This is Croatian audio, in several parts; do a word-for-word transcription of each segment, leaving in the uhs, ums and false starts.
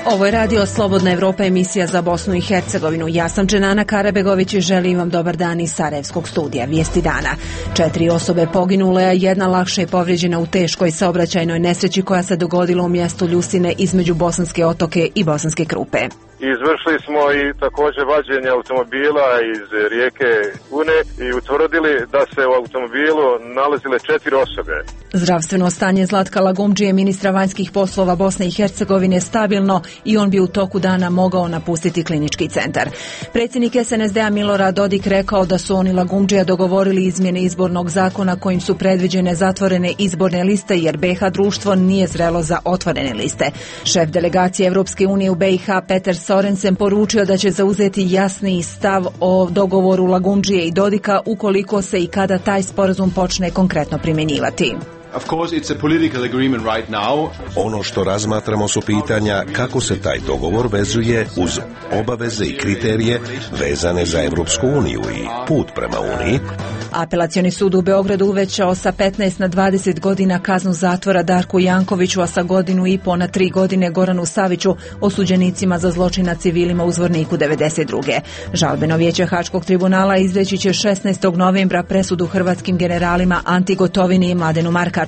Ovo je radio Slobodna Evropa, emisija za Bosnu i Hercegovinu. Ja sam Dženana Karabegović i želim vam dobar dan iz Sarajevskog studija. Vijesti dana. Četiri osobe poginule, a jedna lakše je povrijeđena u teškoj saobraćajnoj nesreći koja se dogodila u mjestu Ljusine između Bosanske Otoke i Bosanske Krupe. Izvršili smo i također vađenje automobila iz rijeke Une i utvrdili da se u automobilu nalazile četiri osobe. Zdravstveno stanje Zlatka Lagumdžije, ministra vanjskih poslova Bosne i Hercegovine, stabilno i on bi u toku dana mogao napustiti klinički centar. Predsjednik es en es de-a Milorad Dodik rekao da su oni Lagumdžija dogovorili izmjene izbornog zakona kojim su predviđene zatvorene izborne liste jer be i ha društvo nije zrelo za otvorene liste. Šef delegacije Evropske unije u be i ha Peter Sorensen poručio da će zauzeti jasniji stav o dogovoru Lagumdžije i Dodika ukoliko se i kada taj sporazum počne konkretno primjenjivati. Of course, it's a political agreement right now. Ono što razmatramo su pitanja kako se taj dogovor vezuje uz obaveze i kriterije vezane za Evropsku uniju i put prema Uniji. Apelacioni sud u Beogradu uvećao sa petnaest na dvadeset godina kaznu zatvora Darku Jankoviću, a sa godinu i po na tri godine Goranu Saviću, osuđenicima za zločin nad civilima u Zvorniku devedeset druge. Žalbeno vijeće Haškog tribunala izreći će šesnaestog novembra presudu hrvatskim generalima Anti Gotovini i Mladenu Markaču.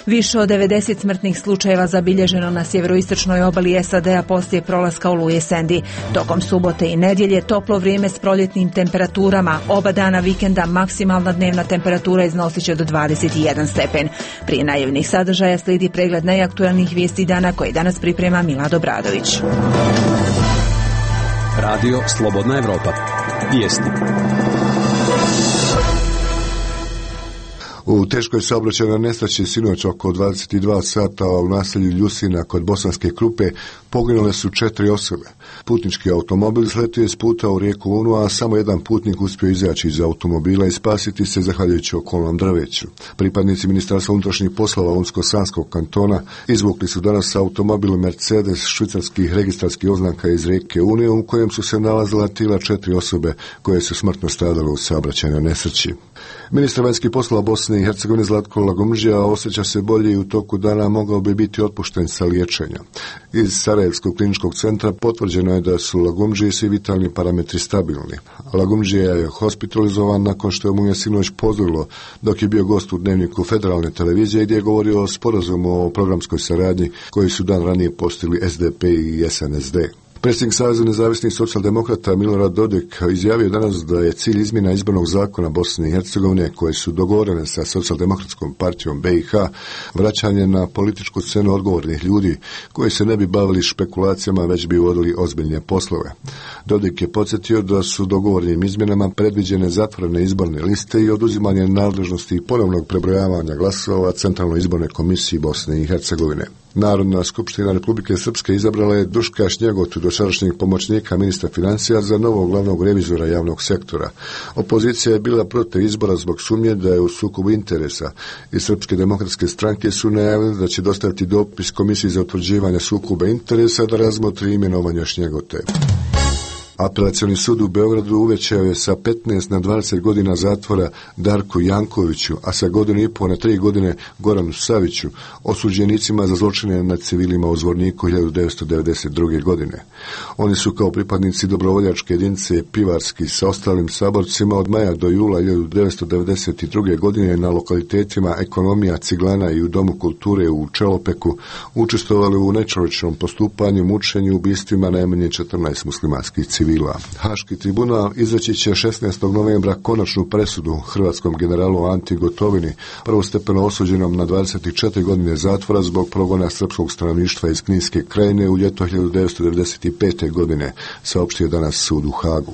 Više od devedeset smrtnih slučajeva zabilježeno na sjeveroistočnoj obali es a de-a poslije prolaska oluje Sandy. Tokom subote i nedjelje toplo vrijeme s proljetnim temperaturama. Oba dana vikenda maksimalna dnevna temperatura iznosit će do dvadeset jedan stepen. Prije najavljenih sadržaja slijedi pregled najaktualnijih vijesti dana koje danas priprema Milad Obradović. Radio Slobodna Evropa. Vijesti. U teškoj saobraćajnoj nesreći sinoć oko dvadeset dva sata u naselju Ljusina kod Bosanske Krupe poginule su četiri osobe. Putnički automobil sletio je s puta u rijeku Unu, a samo jedan putnik uspio izaći iz automobila i spasiti se zahvaljujući okolnom drveću. Pripadnici Ministarstva unutrašnjih poslova Unsko-Sanskog kantona izvukli su danas automobil Mercedes švicarskih registarskih oznaka iz rijeke Une u kojem su se nalazila tijela četiri osobe koje su smrtno stradale u saobraćajnoj nesreći. Ministar vanjskih poslova Bosne i Hercegovine Zlatko Lagumdžija osjeća se bolje i u toku dana mogao bi biti otpušten sa liječenja. Iz Sarajevskog kliničkog centra potvrđeno je da su Lagumdžiji svi vitalni parametri stabilni. Lagumdžija je hospitalizovan nakon što mu je sinoć pozorilo dok je bio gost u dnevniku federalne televizije gdje je govorio o sporazumu o programskoj saradnji koji su dan ranije postigli es de pe i es en es de. Predsjednik Saveza nezavisnih socijaldemokrata Milorad Dodik izjavio danas da je cilj izmjena izbornog zakona Bosne i Hercegovine koje su dogovorene sa socijaldemokratskom partijom be i ha vraćanje na političku scenu odgovornih ljudi koji se ne bi bavili špekulacijama već bi vodili ozbiljne poslove. Dodik je podsjetio da su dogovornim izmjenama predviđene zatvorene izborne liste i oduzimanje nadležnosti i ponovnog prebrojavanja glasova Centralnoj izbornoj komisiji Bosne i Hercegovine. Narodna skupština Republike Srpske izabrala je Duška Šnjegotu, dosadašnjeg pomoćnika ministra financija, za novog glavnog revizora javnog sektora. Opozicija je bila protiv izbora zbog sumnje da je u sukobu interesa i Srpske demokratske stranke su najavili da će dostaviti dopis Komisiji za utvrđivanje sukoba interesa da razmotri imenovanje Šnjegote. Apelacioni sud u Beogradu uvećao je sa petnaest na dvadeset godina zatvora Darku Jankoviću, a sa godinu i po na tri godine Goranu Saviću, osuđenicima za zločine nad civilima u Zvorniku hiljadu devetsto devedeset druge. godine. Oni su kao pripadnici dobrovoljačke jedinice Pivarski sa ostalim saborcima od maja do jula hiljadu devetsto devedeset druge. godine na lokalitetima Ekonomija, Ciglana i u Domu kulture u Čelopeku učestvovali u nečovječnom postupanju, mučenju, ubistvima najmanje četrnaest muslimanskih civila. Haški tribunal izreći će šesnaestog novembra konačnu presudu hrvatskom generalu Anti Gotovini, prvostepeno osuđenom na dvadeset četiri godine zatvora zbog progona srpskog stanovništva iz Kninske krajine u ljeto hiljadu devetsto devedeset pete. godine, saopštio danas sud u Hagu.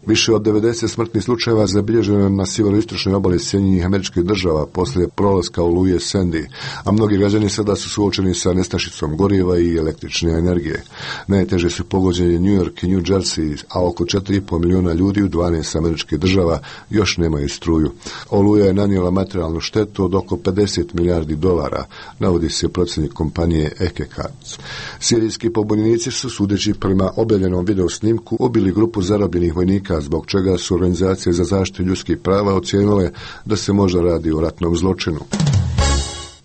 Više od devedeset smrtnih slučajeva zabilježeno na sjeveroistočnoj obali Sjedinjenih Američkih Država poslije prolaska oluje Sandy, a mnogi građani sada su suočeni sa nestašicom goriva i električne energije. Najteže su pogođeni New York i New Jersey, a oko četiri i po milijuna ljudi u dvanaest američkih država još nemaju struju. Oluja je nanijela materijalnu štetu od oko pedeset milijardi dolara, navodi se procjenik kompanije Ekekats. Sirijski pobunjenici su, sudeći prema objavljenom videosnimku, ubili grupu zarobljenih vojnika H, zbog čega su organizacije za zaštitu ljudskih prava ocijenile da se možda radi o ratnom zločinu.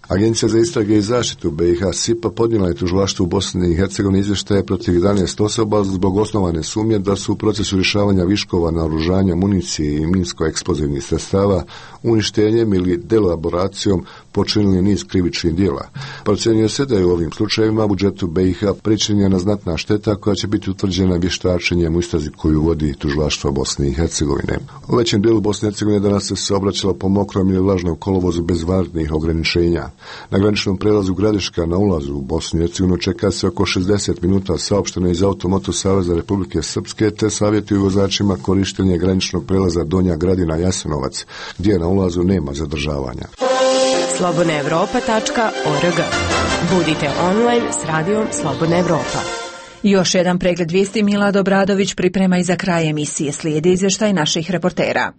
Agencija za istrage i zaštitu B i H S I P A podnijela je tužilaštvu u Bosni i Hercegovini izvještaje protiv jedanaest osoba zbog osnovane sumnje da su u procesu rješavanja viškova naoružanja, municije i minsko-eksplozivnih sredstava uništenjem ili delaboracijom počinili niz krivičnih djela. Procjenjuje se da je u ovim slučajevima budžetu B i H pričinjena znatna šteta koja će biti utvrđena vještačenjem u istrazi koju vodi tužilaštvo Bosne i Hercegovine. U većem dijelu Bosne i Hercegovine danas se saobraćalo po mokrom ili vlažnom kolovozu bez vanrednih ograničenja. Na graničnom prelazu Gradiška na ulazu u Bosnu i Hercegovinu čeka se oko šezdeset minuta, saopšteno iz Automoto Saveza Republike Srpske, te savjetuju vozačima korištenje graničnog prelaza Donja Gradina Jasenovac, gdje na ulazu nema zadržavanja. slobodna evropa tačka org. Budite online s radijom Slobodna Evropa. Još jedan pregled vijesti Milad Obradović priprema i za kraj emisije. Slijedi izvještaj naših reportera.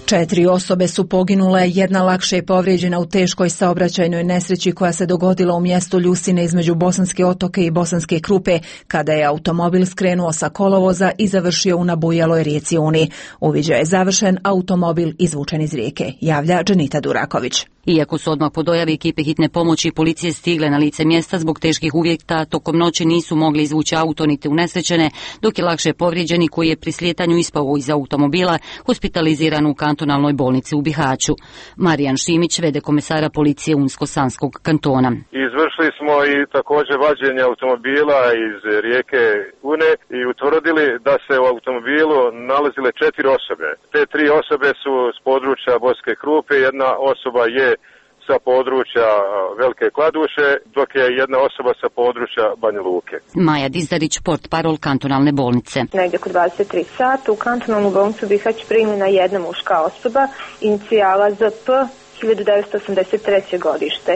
Četiri osobe su poginule, jedna lakše je povrijeđena u teškoj saobraćajnoj nesreći koja se dogodila u mjestu Ljusine između Bosanske Otoke i Bosanske Krupe, kada je automobil skrenuo sa kolovoza i završio u nabujaloj rijeci Uni. Uviđaj je završen, automobil izvučen iz rijeke, javlja Dženita Duraković. Iako su odmah po dojavi ekipe hitne pomoći i policije stigle na lice mjesta zbog teških uvjeta, tokom noći nisu mogli izvući auto niti unesrećene, dok je lakše povrijeđeni koji je pri slijetanju ispao iz automobila hospitaliziran u kantonalnoj bolnici u Bihaću. Marijan Šimić, vede komesara policije Unsko-Sanskog kantona. Izvršili smo i također vađenje automobila iz rijeke Une i utvrdili da se u automobilu nalazile četiri osobe. Te tri osobe su s područja Bosanske Krupe, jedna osoba je sa područja Velike Kladuše, dok je jedna osoba sa područja Banja Luke. Maja Dizdarić, portparol kantonalne bolnice. Negdje oko dvadeset tri sata u kantonalnu bolnicu Bihać primljena jedna muška osoba, inicijala Z P, hiljadu devetsto osamdeset treće godište.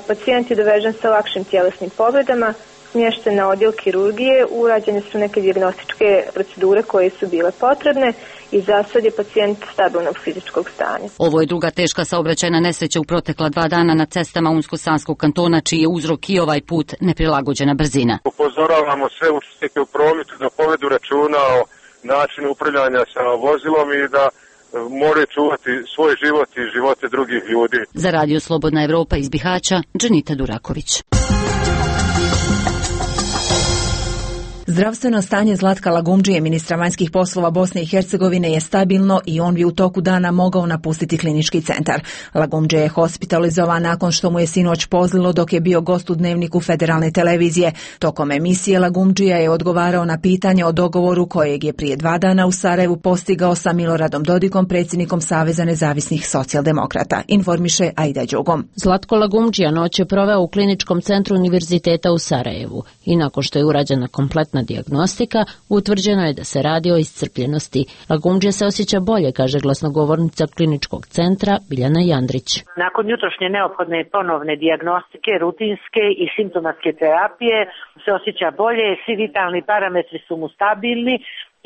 Pacijent je dovežen sa lakšim tjelesnim povredama, smješten na odjel kirurgije, urađene su neke dijagnostičke procedure koje su bile potrebne i za sad je pacijent stabilnog fizičkog stanja. Ovo je druga teška saobraćajna nesreća u protekla dva dana na cestama Unsko-Sanskog kantona, čiji je uzrok i ovaj put neprilagođena brzina. Upozoravamo sve učesnike u prometu da povedu računa o načinu upravljanja sa vozilom i da moraju čuvati svoj život i živote drugih ljudi. Za Radio Slobodna Evropa iz Bihaća, Dženita Duraković. Zdravstveno stanje Zlatka Lagumdžije, ministra vanjskih poslova Bosne i Hercegovine, je stabilno i on bi u toku dana mogao napustiti klinički centar. Lagumdžije je hospitalizovan nakon što mu je sinoć pozlilo dok je bio gost u Dnevniku federalne televizije. Tokom emisije Lagumdžija je odgovarao na pitanje o dogovoru kojeg je prije dva dana u Sarajevu postigao sa Miloradom Dodikom, predsjednikom Saveza nezavisnih socijaldemokrata, informiše Aida Đugom. Zlatko Lagumdžija noć je proveo u kliničkom centru Univerziteta u Sarajevu i nakon što je urađena kompletna dijagnostika, utvrđeno je da se radi o iscrpljenosti. Lagumdžija se osjeća bolje, kaže glasnogovornica kliničkog centra Biljana Jandrić. Nakon jutrošnje neophodne ponovne dijagnostike, rutinske i simptomatske terapije se osjeća bolje, svi vitalni parametri su mu stabilni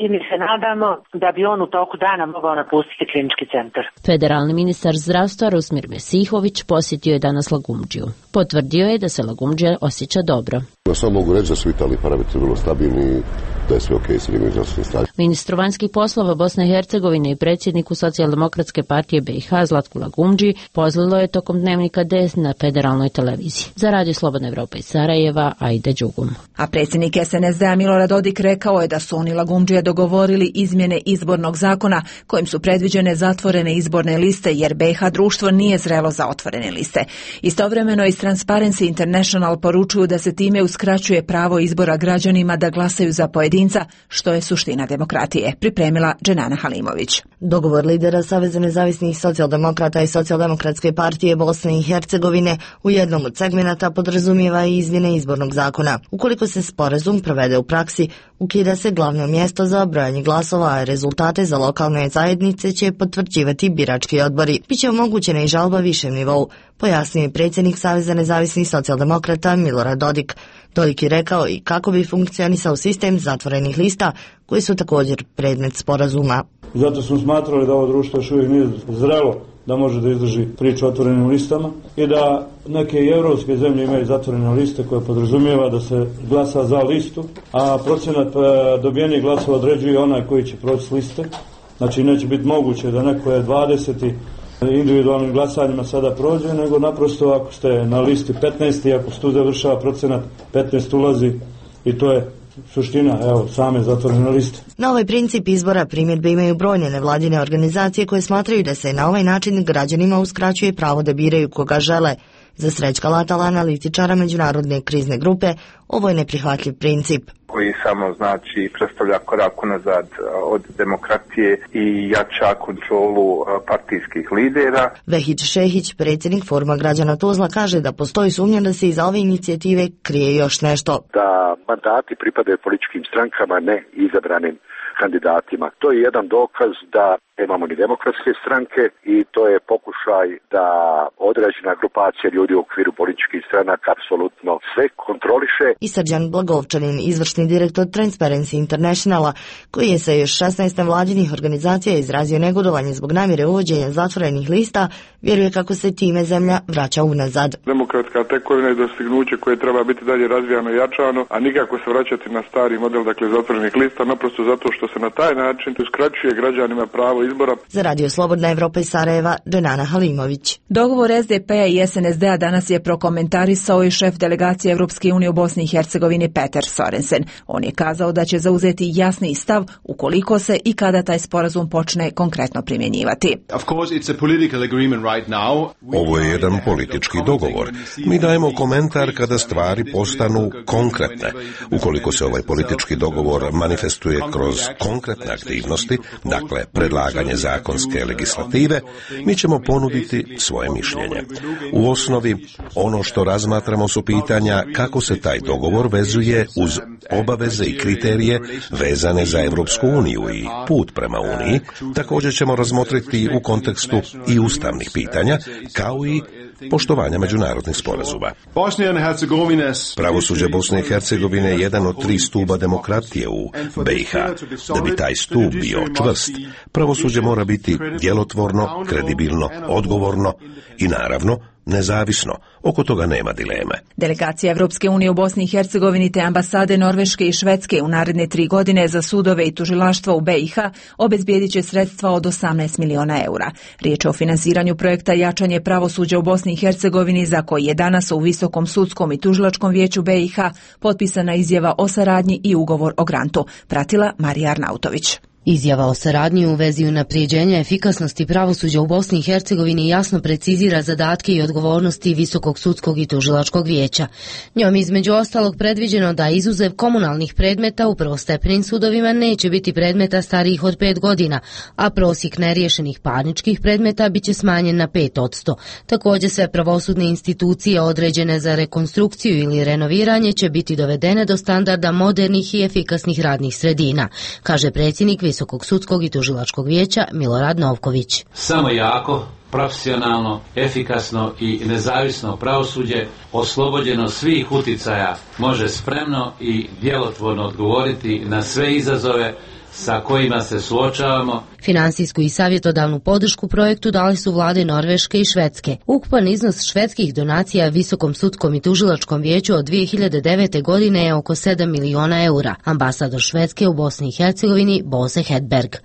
i mi se nadamo da bi on u toku dana mogao napustiti klinički centar. Federalni ministar zdravstva Rusmir Mesihović posjetio je danas Lagumdžiju. Potvrdio je da se Lagumdžija osjeća dobro. Samo mogu reći da su vitalni parametri vrlo stabilni, da je sve okej s njegovim zdravstvenim stanjem. Ministru vanjskih poslova Bosne i Hercegovine i predsjedniku Socijaldemokratske partije B i H Zlatku Lagumdžiji pozlilo je tokom Dnevnika D na federalnoj televiziji. Za Radio Slobodna Evropa iz Sarajeva, Aida Đugum. A predsjednik S N S D-a Milorad Dodik rekao je da su oni Lagumdžija dogovorili izmjene izbornog zakona kojim su predviđene zatvorene izborne liste, jer B i H društvo nije zrelo za otvorene liste. Istovremeno iz Transparency International poručuju da se time uskraćuje pravo izbora građanima da glasaju za pojedinca, što je suština demokratije, pripremila Dženana Halimović. Dogovor lidera Saveza nezavisnih socijaldemokrata i Socijaldemokratske partije Bosne i Hercegovine u jednom od segmenata podrazumijeva i izmjene izbornog zakona. Ukoliko se sporazum provede u praksi, ukida se glavno mjesto za brojanje glasova, a rezultate za lokalne zajednice će potvrđivati birački odbori. Biće omogućena i žalba višem nivou, pojasnio je predsjednik Saveza nezavisnih socijaldemokrata Milorad Dodik. Dodik je rekao i kako bi funkcionisao sistem zatvorenih lista koji su također predmet sporazuma. i zato smo smatrali da ovo društvo još uvijek nije zrelo da može da izdrži priču o otvorenim listama i da neke i evropske zemlje imaju zatvorene liste koje podrazumijeva da se glasa za listu, a procenat dobijenih glasova određuje onaj koji će proći s liste. Znači neće biti moguće da neko je dvadeset individualnim glasanjima sada prođe, nego naprosto ako ste na listi petnaest i ako se tu završava procenat, petnaest ulazi i to je suština, evo, same zatvorene liste. Na ovaj princip izbora primjedbe imaju brojne nevladine organizacije koje smatraju da se na ovaj način građanima uskraćuje pravo da biraju koga žele. Za Srećka Latala, analitičara međunarodne krizne grupe, ovo je neprihvatljiv princip. Koji samo znači predstavlja korak unazad od demokratije i jača kontrolu partijskih lidera. Vehić Šehić, predsjednik Foruma građana Tuzla, kaže da postoji sumnja da se iza ove inicijative krije još nešto. Da mandati pripadaju političkim strankama, ne izabranim kandidatima. To je jedan dokaz da nemamo ni demokratske stranke i to je pokušaj da određena grupacija ljudi u okviru političkih stranaka apsolutno sve kontroliše. I Srđan Blagovčanin, izvršni direktor Transparency Internationala, koji je sa još šesnaest vladinih organizacija izrazio negodovanje zbog namjere uvođenja zatvorenih lista, vjeruje kako se time zemlja vraća unazad. Demokratska tekovina je dostignuće koje treba biti dalje razvijano i jačano, a nikako se vraćati na stari model, dakle zatvorenih lista, naprosto zato što se na taj način uskraćuje građanima pravo izbora. Za Radio Slobodna Evropa iz Sarajeva, Dženana Halimović. Dogovor S D P-a i S N S D-a danas je prokomentarisao i šef delegacije Evropske unije u Bosni i Hercegovini Peter Sorensen. On je kazao da će zauzeti jasni stav ukoliko se i kada taj sporazum počne konkretno primjenjivati. Ovo je jedan politički dogovor. Mi dajemo komentar kada stvari postanu konkretne. Ukoliko se ovaj politički dogovor manifestuje kroz konkretne aktivnosti, dakle predlaganje zakonske legislative, mi ćemo ponuditi svoje mišljenje. U osnovi, ono što razmatramo su pitanja kako se taj dogovor vezuje uz obaveze i kriterije vezane za Evropsku uniju i put prema Uniji. Također ćemo razmotriti u kontekstu i ustavnih pitanja, kao i poštovanja međunarodnih sporazuma. Pravosuđe Bosne i Hercegovine je jedan od tri stuba demokratije u B i H. Da bi taj stup bio čvrst, pravosuđe mora biti djelotvorno, kredibilno, odgovorno i naravno nezavisno. Oko toga nema dileme. Delegacija Evropske unije u Bosni i Hercegovini te ambasade Norveške i Švedske u naredne tri godine za sudove i tužilaštva u B i H obezbijedit će sredstva od osamnaest miliona eura. Riječ je o finansiranju projekta jačanje pravosuđa u Bosni i Hercegovini za koji je danas u Visokom sudskom i tužilačkom vijeću B i H potpisana izjava o saradnji i ugovor o grantu. Pratila Marija Arnautović. Izjava o saradnji u vezi unaprijeđenja efikasnosti pravosuđa u Bosni i Hercegovini jasno precizira zadatke i odgovornosti Visokog sudskog i tužilačkog vijeća. Njom između ostalog predviđeno da izuzev komunalnih predmeta u prvostepenim sudovima neće biti predmeta starijih od pet godina, a prosjek neriješenih parničkih predmeta biće smanjen na pet posto. Također sve pravosudne institucije određene za rekonstrukciju ili renoviranje će biti dovedene do standarda modernih i efikasnih radnih sredina, kaže predsjednik Visokog sudskog i tužilačkog vijeća Milorad Novković. Samo jako, profesionalno, efikasno i nezavisno pravosuđe, oslobođeno svih uticaja, može spremno i djelotvorno odgovoriti na sve izazove sa kojima se suočavamo. Finansijsku i savjetodavnu podršku projektu dali su vlade Norveške i Švedske. Ukupan iznos švedskih donacija Visokom sudskom i tužilačkom vijeću od dvije hiljade devete. godine je oko sedam miliona eura. Ambasador Švedske u Bosni i Hercegovini Bose Hedberg.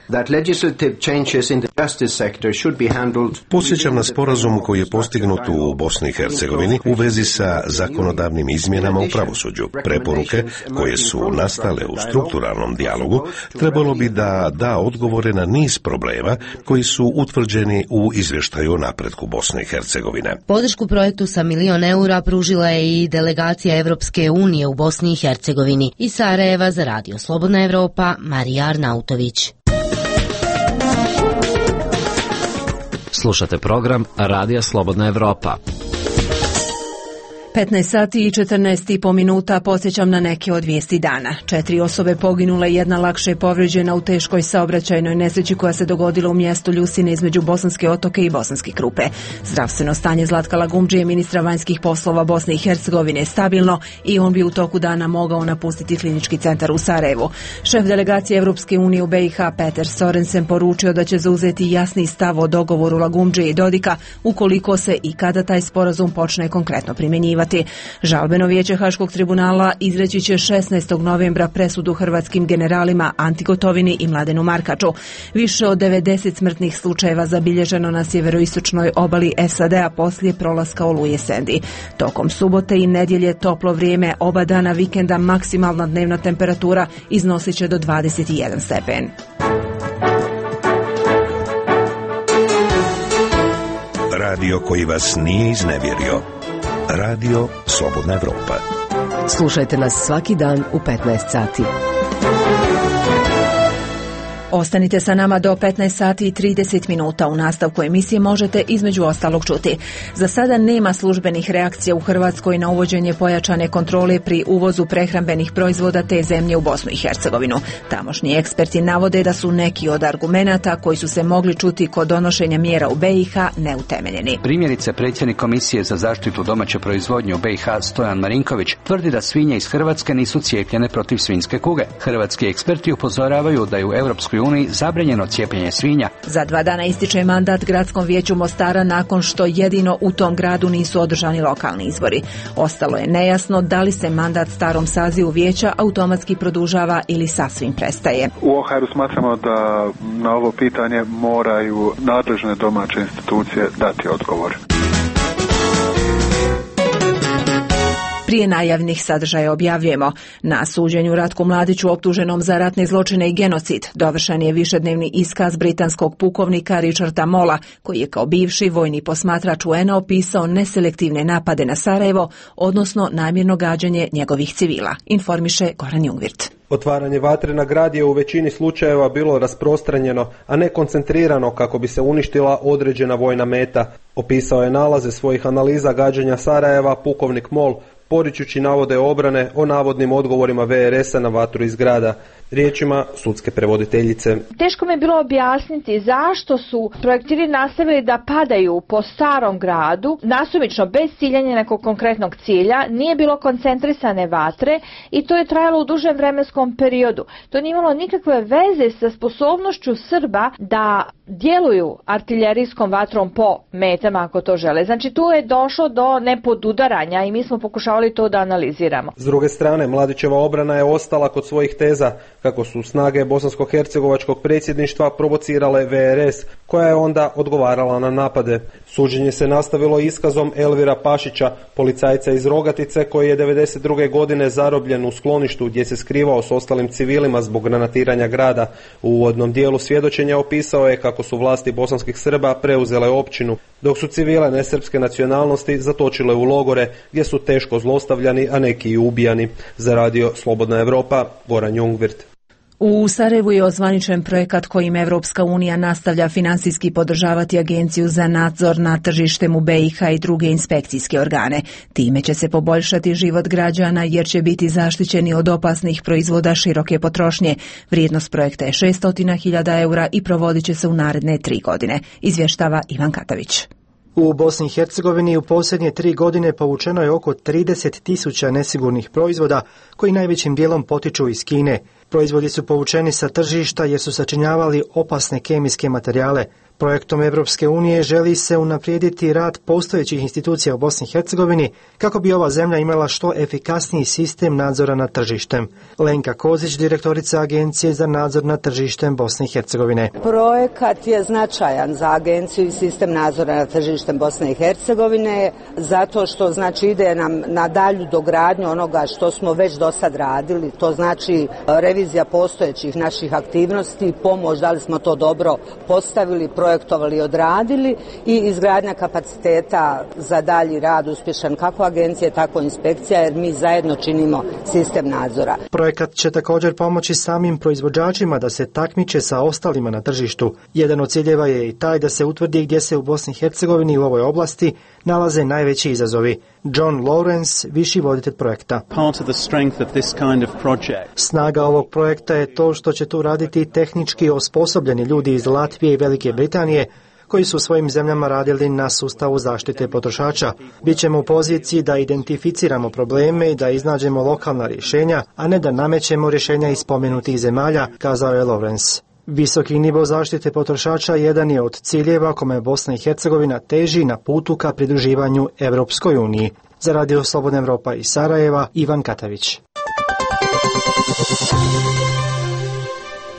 Posjećam na sporazum koji je postignut u Bosni i Hercegovini u vezi sa zakonodavnim izmjenama u pravosuđu. Preporuke koje su nastale u strukturalnom dijalogu trebalo bi da da odgovore na niz problema koji su utvrđeni u izvještaju o napretku Bosne i Hercegovine. Podršku projektu sa milion eura pružila je i delegacija Evropske unije u Bosni i Hercegovini. Iz Sarajeva za Radio Slobodna Evropa, Marija Arnautović. Slušate program Radija Slobodna Evropa. petnaest sati i četrnaest i po minuta podsjećam na neke od vijesti dana. Četiri osobe poginule, jedna lakše povrijeđena u teškoj saobraćajnoj nesreći koja se dogodila u mjestu Ljusine između Bosanske Otoke i Bosanske Krupe. Zdravstveno stanje Zlatka Lagumdžije, ministra vanjskih poslova Bosne i Hercegovine, je stabilno i on bi u toku dana mogao napustiti klinički centar u Sarajevu. Šef delegacije Evropske unije u B i H Peter Sorensen poručio da će zauzeti jasni stav o dogovoru Lagumdžije i Dodika ukoliko se i kada taj sporazum počne konkretno primjenjivati. Žalbeno vijeće Haškog tribunala izreći će šesnaestog novembra presudu hrvatskim generalima Anti Gotovini i Mladenu Markaču. Više od devedeset smrtnih slučajeva zabilježeno na sjeveroistočnoj obali S A D-a poslije prolaska oluje Sandy. Tokom subote i nedjelje toplo vrijeme, oba dana vikenda maksimalna dnevna temperatura iznosit će do dvadeset jedan stepen. Radio koji vas nije iznevjerio. Radio Slobodna Evropa. Slušajte nas svaki dan u petnaest sati. Ostanite sa nama do petnaest sati i trideset minuta. U nastavku emisije možete između ostalog čuti. Za sada nema službenih reakcija u Hrvatskoj na uvođenje pojačane kontrole pri uvozu prehrambenih proizvoda te zemlje u Bosnu i Hercegovinu. Tamošnji eksperti navode da su neki od argumenata koji su se mogli čuti kod donošenja mjera u B i H neutemeljeni. Primjerice, predsjednik Komisije za zaštitu domaće proizvodnje u B i H Stojan Marinković tvrdi da svinje iz Hrvatske nisu cijepljene protiv svinjske kuge. Hrvatski eksperti upozoravaju da je u Europskoj uniji zabranjeno cijepljenje svinja. Za dva dana ističe mandat Gradskom vijeću Mostara nakon što jedino u tom gradu nisu održani lokalni izbori. Ostalo je nejasno da li se mandat starom sazivu vijeća automatski produžava ili sasvim prestaje. U O H R-u smatramo da na ovo pitanje moraju nadležne domaće institucije dati odgovor. Prije najavnih sadržaja objavljujemo. Na suđenju Ratku Mladiću optuženom za ratne zločine i genocid dovršen je višednevni iskaz britanskog pukovnika Richarda Mola, koji je kao bivši vojni posmatrač U N-a opisao neselektivne napade na Sarajevo, odnosno namjerno gađanje njegovih civila, informiše Goran Jungvirt. Otvaranje vatre na grad je u većini slučajeva bilo rasprostranjeno, a ne koncentrirano kako bi se uništila određena vojna meta. Opisao je nalaze svojih analiza gađanja Sarajeva pukovnik Mol, poričući navode obrane o navodnim odgovorima V R S-a na vatru iz grada. Riječima sudske prevoditeljice. Teško mi je bilo objasniti zašto su projektili nastavili da padaju po starom gradu, nasumično bez ciljanja nekog konkretnog cilja, nije bilo koncentrisane vatre i to je trajalo u dužem vremenskom periodu. To nije imalo nikakve veze sa sposobnošću Srba da djeluju artiljerijskom vatrom po metama ako to žele. Znači tu je došlo do nepodudaranja i mi smo pokušavali to da analiziramo. S druge strane, Mladićeva obrana je ostala kod svojih teza kako su snage bosansko-hercegovačkog predsjedništva provocirale V R S, koja je onda odgovarala na napade. Suđenje se nastavilo iskazom Elvira Pašića, policajca iz Rogatice, koji je devedeset druge godine zarobljen u skloništu gdje se skrivao s ostalim civilima zbog granatiranja grada. U uvodnom dijelu svjedočenja opisao je kako su vlasti bosanskih Srba preuzele općinu, dok su civile nesrpske nacionalnosti zatočile u logore gdje su teško zlostavljani, a neki i ubijani. Za radio Slobodna Evropa, Goran Jungvirt. U Sarajevu je ozvaničen projekat kojim Evropska unija nastavlja finansijski podržavati Agenciju za nadzor nad tržištem u B i H i druge inspekcijske organe. Time će se poboljšati život građana jer će biti zaštićeni od opasnih proizvoda široke potrošnje. Vrijednost projekta je šesto hiljada eura i provodit će se u naredne tri godine, izvještava Ivan Katavić. U Bosni i Hercegovini u posljednje tri godine povučeno je oko trideset tisuća nesigurnih proizvoda koji najvećim dijelom potiču iz Kine. Proizvodi su povučeni sa tržišta jer su sačinjavali opasne kemijske materijale. Projektom Evropske unije želi se unaprijediti rad postojećih institucija u Bosni i Hercegovini kako bi ova zemlja imala što efikasniji sistem nadzora nad tržištem. Lenka Kozić, direktorica Agencije za nadzor nad tržištem Bosne i Hercegovine. Projekat je značajan za agenciju i sistem nadzora nad tržištem Bosne i Hercegovine zato što znači ide nam na dalju dogradnju onoga što smo već do sad radili. To znači revizija postojećih naših aktivnosti, pomoć da li smo to dobro postavili, projektovali i odradili i izgradnja kapaciteta za dalji rad uspješan kako agencije, tako inspekcija, jer mi zajedno činimo sistem nadzora. Projekat će također pomoći samim proizvođačima da se takmiče sa ostalima na tržištu. Jedan od ciljeva je i taj da se utvrdi gdje se u Bosni i Hercegovini u ovoj oblasti nalaze najveći izazovi. John Lawrence, viši voditelj projekta. Snaga ovog projekta je to što će tu raditi tehnički osposobljeni ljudi iz Latvije i Velike Britanije, koji su u svojim zemljama radili na sustavu zaštite potrošača. Bićemo u poziciji da identificiramo probleme i da iznađemo lokalna rješenja, a ne da namećemo rješenja iz spomenutih zemalja, kazao je Lawrence. Visoki nivo zaštite potrošača jedan je od ciljeva kome Bosna i Hercegovina teži na putu ka pridruživanju Evropskoj uniji. Za Radio Slobodna Evropa iz Sarajeva, Ivan Katavić.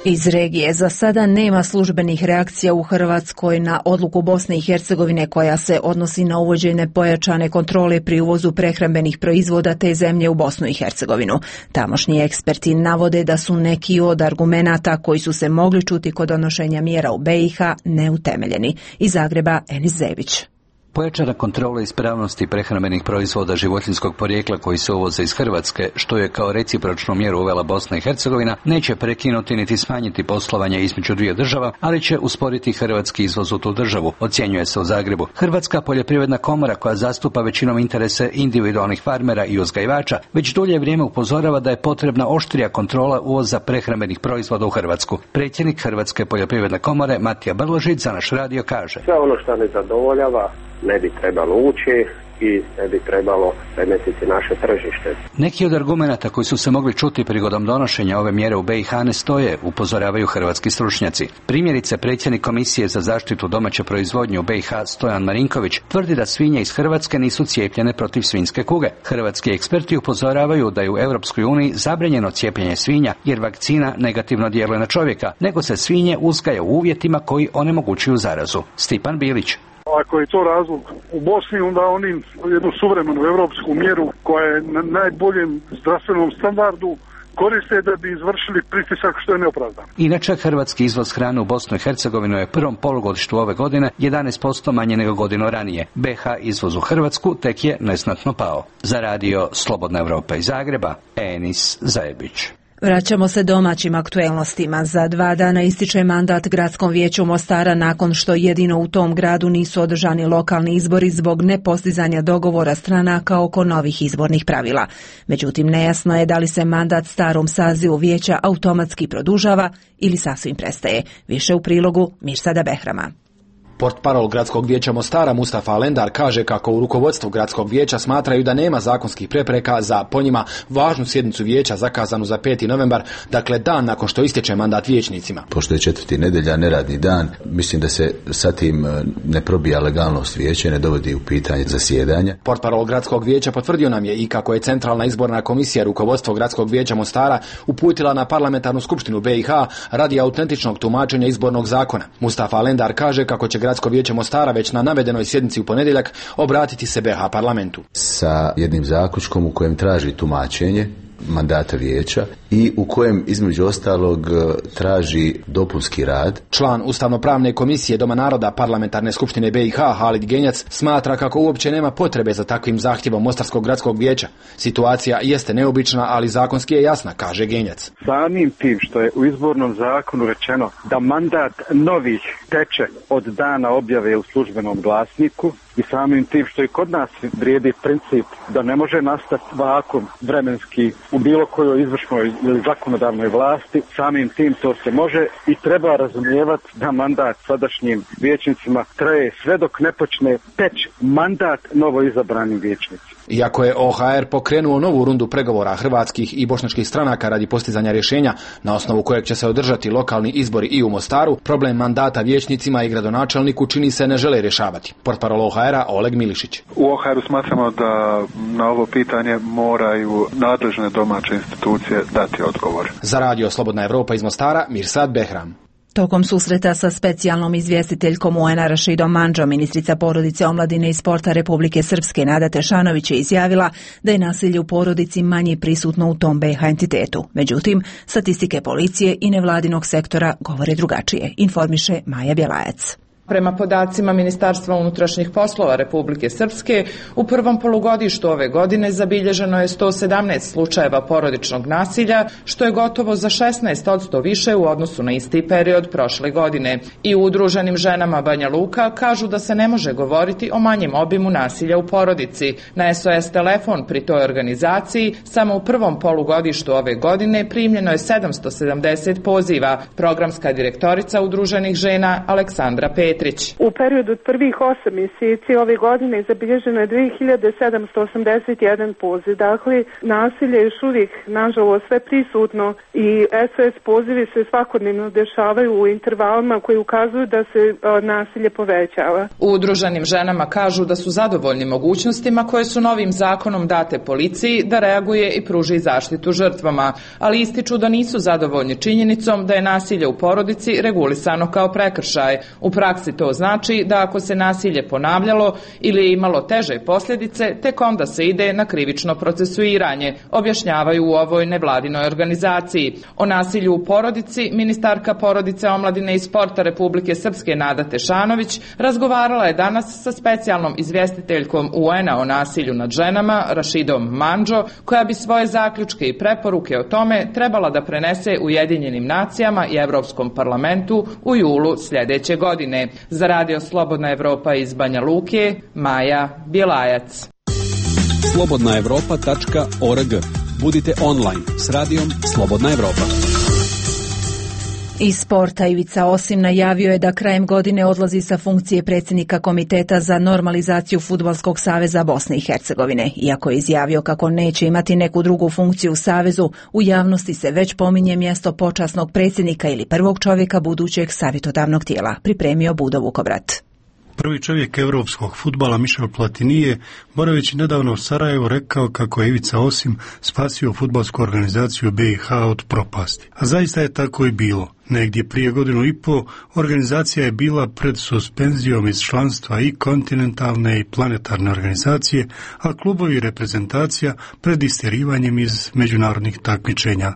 Iz regije za sada nema službenih reakcija u Hrvatskoj na odluku Bosne i Hercegovine koja se odnosi na uvođenje pojačane kontrole pri uvozu prehrambenih proizvoda te zemlje u Bosnu i Hercegovinu. Tamošnji eksperti navode da su neki od argumenata koji su se mogli čuti kod donošenja mjera u B i H neutemeljeni. Iz Zagreba, Enis Zebić. Pojačana kontrola ispravnosti prehrambenih proizvoda životinjskog porijekla koji se uvoze iz Hrvatske, što je kao recipročnu mjeru uvela Bosna i Hercegovina, neće prekinuti niti smanjiti poslovanje između dvije država, ali će usporiti hrvatski izvoz u tu državu, ocjenjuje se u Zagrebu. Hrvatska poljoprivredna komora, koja zastupa većinom interese individualnih farmera i uzgajivača, već dulje vrijeme upozorava da je potrebna oštrija kontrola uvoza prehrambenih proizvoda u Hrvatsku. Predsjednik Hrvatske poljoprivredne komore Matija Brložić za naš radio kaže: sve ono što ne zadovoljava ne bi trebalo ući i ne bi trebalo remetiti naše tržište. Neki od argumenata koji su se mogli čuti prigodom donošenja ove mjere u B i H ne stoje, upozoravaju hrvatski stručnjaci. Primjerice, predsjednik Komisije za zaštitu domaće proizvodnje u B i H Stojan Marinković tvrdi da svinje iz Hrvatske nisu cijepljene protiv svinjske kuge. Hrvatski eksperti upozoravaju da je u Europskoj uniji zabranjeno cijepljenje svinja jer vakcina negativno djeluje na čovjeka, nego se svinje uzgaja u uvjetima koji onemogućuju zarazu. Stipan Bilić. Ako je to razlog u Bosni, onda oni jednu suvremenu evropsku mjeru koja je na najboljem zdravstvenom standardu koriste da bi izvršili pritisak što je neopravdan. Inače, hrvatski izvoz hrane u Bosnu i Hercegovinu je prvom polugodištu ove godine jedanaest posto manje nego godinu ranije. B i H izvoz u Hrvatsku tek je neznatno pao. Za Radio Slobodna Evropa iz Zagreba, Enis Zajebić. Vraćamo se domaćim aktuelnostima. Za dva dana ističe mandat Gradskom vijeću Mostara nakon što jedino u tom gradu nisu održani lokalni izbori zbog nepostizanja dogovora stranaka oko novih izbornih pravila. Međutim, nejasno je da li se mandat starom sazivu vijeća automatski produžava ili sasvim prestaje. Više u prilogu Mirsada Behrama. Portparol Gradskog vijeća Mostara Mustafa Alendar kaže kako u rukovodstvu Gradskog vijeća smatraju da nema zakonskih prepreka za po njima važnu sjednicu vijeća zakazanu za peti novembar, dakle dan nakon što istječe mandat vijećnicima. Pošto je četvrti nedjelja, neradni dan, mislim da se sa tim ne probija legalnost vijeća, ne dovodi u pitanje zasjedanja. Portparol Gradskog vijeća potvrdio nam je i kako je Centralna izborna komisija rukovodstvo Gradskog vijeća Mostara uputila na parlamentarnu skupštinu B i H radi autentičnog tumačenja izbornog zakona. Mustafa Alendar kaže kako će Gradsko vijeće Mostara već na navedenoj sjednici u ponedjeljak obratiti se B i H parlamentu. Sa jednim zaključkom u kojem traži tumačenje mandata vijeća i u kojem između ostalog traži dopunski rad. Član Ustavno-pravne komisije Doma naroda parlamentarne skupštine B i H Halid Genjac smatra kako uopće nema potrebe za takvim zahtjevom Mostarskog gradskog vijeća. Situacija jeste neobična, ali zakonski je jasna, kaže Genjac. Samim tim što je u izbornom zakonu rečeno da mandat novih teče od dana objave u službenom glasniku i samim tim što i kod nas vrijedi princip da ne može nastati vakuum vremenski u bilo kojoj izvršnoj ili zakonodavnoj vlasti, samim tim to se može i treba razumijevati da mandat sadašnjim vijećnicima traje sve dok ne počne teći mandat novo izabranim vijećnicima. Iako je O H R pokrenuo novu rundu pregovora hrvatskih i bošnjačkih stranaka radi postizanja rješenja na osnovu kojeg će se održati lokalni izbori i u Mostaru, problem mandata vijećnicima i gradonačelniku čini se ne žele rješavati. Portparol O H R-a Oleg Milišić. U O H R-u smatramo da na ovo pitanje moraju nadležne domaće institucije dati odgovor. Za Radio Slobodna Evropa iz Mostara, Mirsad Behram. Tokom susreta sa specijalnom izvjestiteljkom U N-a Rašidom Mandžom, ministrica porodice, omladine i sporta Republike Srpske Nada Tešanović je izjavila da je nasilje u porodici manje prisutno u tom B i H entitetu. Međutim, statistike policije i nevladinog sektora govore drugačije, informiše Maja Bjelajac. Prema podacima Ministarstva unutrašnjih poslova Republike Srpske, u prvom polugodištu ove godine zabilježeno je sto sedamnaest slučajeva porodičnog nasilja, što je gotovo za šesnaest posto više u odnosu na isti period prošle godine. I u Udruženim ženama Banja Luka kažu da se ne može govoriti o manjem obimu nasilja u porodici. Na S O S telefon pri toj organizaciji samo u prvom polugodištu ove godine primljeno je sedamsto sedamdeset poziva. Programska direktorica Udruženih žena Aleksandra Petrić. U periodu od prvih osam mjeseci ove godine zabilježeno je dve hiljade sedamsto osamdeset jedan poziv. Dakle, nasilje je još uvijek, nažalost, sve prisutno i S O S pozivi se svakodnevno dešavaju u intervalima koji ukazuju da se a, nasilje povećava. U Udruženim ženama kažu da su zadovoljni mogućnostima koje su novim zakonom date policiji da reaguje i pruži zaštitu žrtvama, ali ističu da nisu zadovoljni činjenicom da je nasilje u porodici regulisano kao prekršaj. U praksi to znači da ako se nasilje ponavljalo ili je imalo teže posljedice, tek onda se ide na krivično procesuiranje, objašnjavaju u ovoj nevladinoj organizaciji. O nasilju u porodici ministarka porodice, omladine i sporta Republike Srpske Nada Tešanović razgovarala je danas sa specijalnom izvjestiteljkom U N A o nasilju nad ženama Rašidom Mandžo, koja bi svoje zaključke i preporuke o tome trebala da prenese Ujedinjenim nacijama i Europskom parlamentu u julu sljedeće godine. Za Radio Slobodna Evropa iz Banja Luke, Maja Bjelajac. slobodna evropa tačka org. Budite online s radijom Slobodna Evropa. Iz sporta Ivica Osim najavio je da krajem godine odlazi sa funkcije predsjednika Komiteta za normalizaciju Fudbalskog saveza Bosne i Hercegovine. Iako je izjavio kako neće imati neku drugu funkciju u savezu, u javnosti se već pominje mjesto počasnog predsjednika ili prvog čovjeka budućeg savjetodavnog tijela, pripremio Budo Vukobrat. Prvi čovjek europskog fudbala Michel Platini je, boraveći nedavno u Sarajevu, rekao kako je Ivica Osim spasio fudbalsku organizaciju B i H od propasti. A zaista je tako i bilo. Negdje prije godinu i po organizacija je bila pred suspenzijom iz članstva i kontinentalne i planetarne organizacije, a klubovi i reprezentacija pred istjerivanjem iz međunarodnih takmičenja.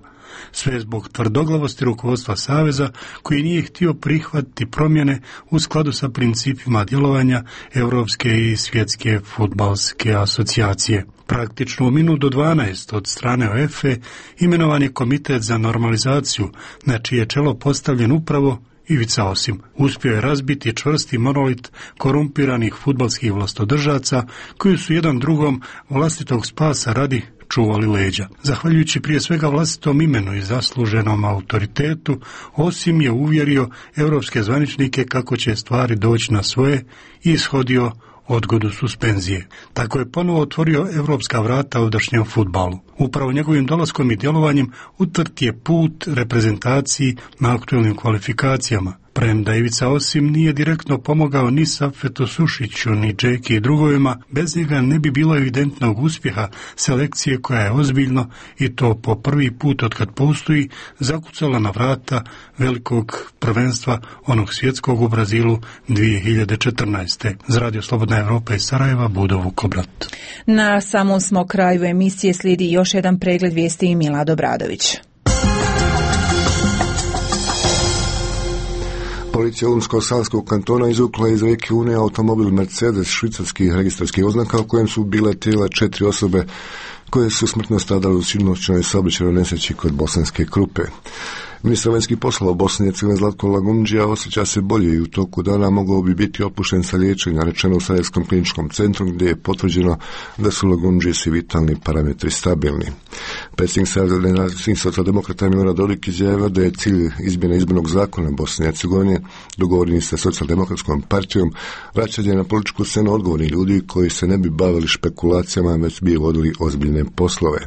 Sve zbog tvrdoglavosti rukovodstva saveza koji nije htio prihvatiti promjene u skladu sa principima djelovanja Europske i Svjetske fudbalske asocijacije. Praktično u minut do dvanaest od strane O F E imenovan je komitet za normalizaciju, na čije čelo postavljen upravo Ivica Osim. Uspio je razbiti čvrsti monolit korumpiranih fudbalskih vlastodržaca koji su jedan drugom vlastitog spasa radi čuvali leđa. Zahvaljujući prije svega vlastitom imenu i zasluženom autoritetu, Osim je uvjerio europske zvaničnike kako će stvari doći na svoje i ishodio odgodu suspenzije. Tako je ponovo otvorio europska vrata ovdašnjem fudbalu. Upravo njegovim dolaskom i djelovanjem utrt je put reprezentaciji na aktualnim kvalifikacijama. Premda Ivica Osim nije direktno pomogao ni Safetu Sušiću, ni Džeki i drugovima, bez njega ne bi bilo evidentnog uspjeha selekcije koja je ozbiljno, i to po prvi put otkad postoji, zakucala na vrata velikog prvenstva onog svjetskog u Brazilu dvije hiljade četrnaeste. Za Radio Slobodna Evropa iz Sarajeva, Budo Vukobrat. Na samom smo kraju emisije slijedi još jedan pregled vijesti i Milado Bradović. Policija Unsko-Sanskog kantona izvukla iz rijeke Une automobil Mercedes švicarskih registarskih oznaka u kojem su bile tijela četiri osobe koje su smrtno stradale u sinoćnoj saobraćajnoj nesreći kod Bosanske Krupe. Ministar vanjskih poslova Bosne i Hercegovine Zlatko Lagundžija osjeća se bolje i u toku dana mogao bi biti opušten sa liječenja, rečeno u Sarajevskom kliničkom centru, gdje je potvrđeno da su Lagundžiji svi vitalni parametri stabilni. Predsjednik Sarajevskih socijaldemokrata Milorad Dodik izjavio da je cilj izmjene izbornog zakona Bosne i Hercegovine, dogovoreni sa socijaldemokratskom partijom, vraćanje na političku scenu odgovornih ljudi koji se ne bi bavili špekulacijama, već bi vodili ozbiljne poslove.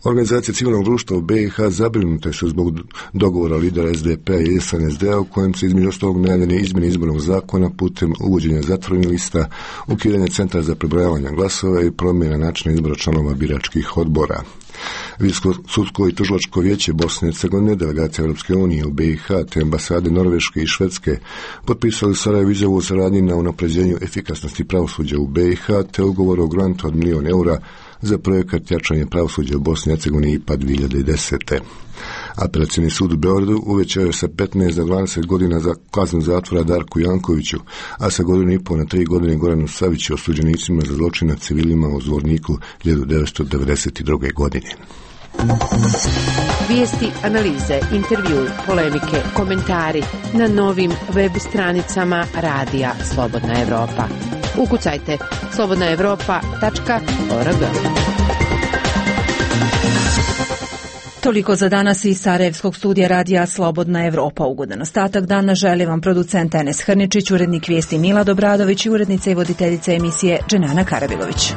Organizacije civilnog društva u B i H zabrinute su zbog dogovora lidera S D P-a i S N S D-a u kojem se između ostalog najavljene izmjene izbornog zakona putem uvođenja zatvorenih lista, ukidanja centra za prebrojavanje glasova i promjena načina izbora članova biračkih odbora. Visoko sudsko i tužilačko vijeće Bosne i Hercegovine, delegacija Europske unije u B i H te ambasade Norveške i Švedske potpisali Sarajevo izjavu o saradnji na unapređenju efikasnosti pravosuđa u B i H te ugovor o grantu od milijun eura za projekat jačanje pravosuđa u Bosni i Hercegovini I P A dvije hiljade desete. Apelacioni sud u Beogradu uvećao je sa petnaest na dvadeset godina za kaznu zatvora Darku Jankoviću, a sa godinu i pol na tri godine Goranu Saviću, osuđenicima za zločin nad civilima u Zvorniku hiljadu devetsto devedeset druge. godine. Vijesti, analize, intervju, polemike, komentari na novim web stranicama Radija Slobodna Evropa. Ukucajte slobodna evropa tačka org. Toliko za danas iz Sarajevskog studija Radija Slobodna Evropa. Ugodan ostatak dana želi vam producent Enes Hrničić, urednik vijesti Mila Dobradović i urednica i voditeljica emisije Dženana Karabilović.